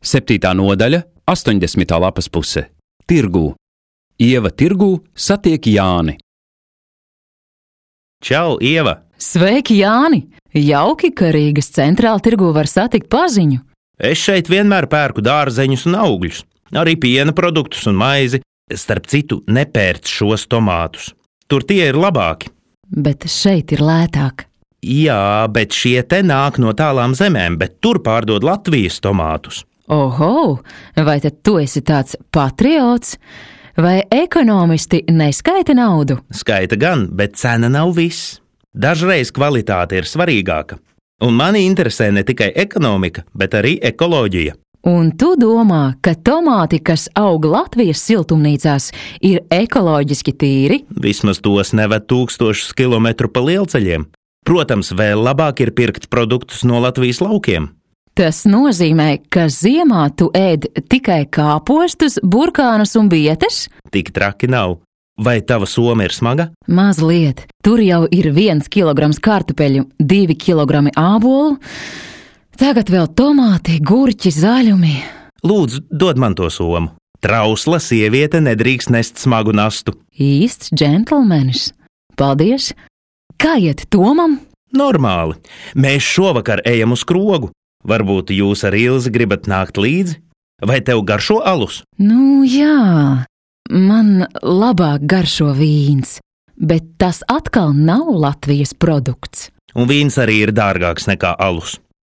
7. nodaļa, 80. lapas puse. Tirgū. Ieva tirgū satiek Jāni. Čau, Ieva! Sveiki, Jāni! Jauki, ka Rīgas centrāla tirgū var satikt paziņu. Es šeit vienmēr pērku dārzeņus un augļus, arī piena produktus un maizi. Starp citu, nepērc šos tomātus. Tur tie ir labāki. Bet šeit ir lētāk. Jā, bet šie te nāk no tālām zemēm, bet tur pārdod Latvijas tomātus. Oho, vai tad tu esi tāds patriots? Vai ekonomisti neskaita naudu? Skaita gan, bet cena nav viss. Dažreiz kvalitāte ir svarīgāka. Un mani interesē ne tikai ekonomika, bet arī ekoloģija. Un tu domā, ka tomāti, kas aug Latvijas siltumnīcās, ir ekoloģiski tīri? Vismaz tos neved 1000 kilometru pa lielceļiem. Protams, vēl labāk ir pirkt produktus no Latvijas laukiem. Tas nozīmē, ka ziemā tu ēd tikai kāpostus, burkānus un bietes? Tik traki nav. Vai tava soma ir smaga? Mazliet. Tur jau ir 1 kilograms kartupeļu, 2 kilogrami ābolu, tagad vēl tomāti, gurķi, zaļumi. Lūdzu, dod man to somu. Trausla sieviete nedrīkst nest smagu nastu. Īsts džentlmenis. Paldies. Kā iet Tomam? Normāli. Mēs šovakar ejam uz krogu. Varbūt jūs ar Ilzi gribat nākt līdzi? Vai tev garšo alus? Nu jā, man labāk garšo vīns, bet tas atkal nav Latvijas produkts. Un vīns arī ir dārgāks nekā alus.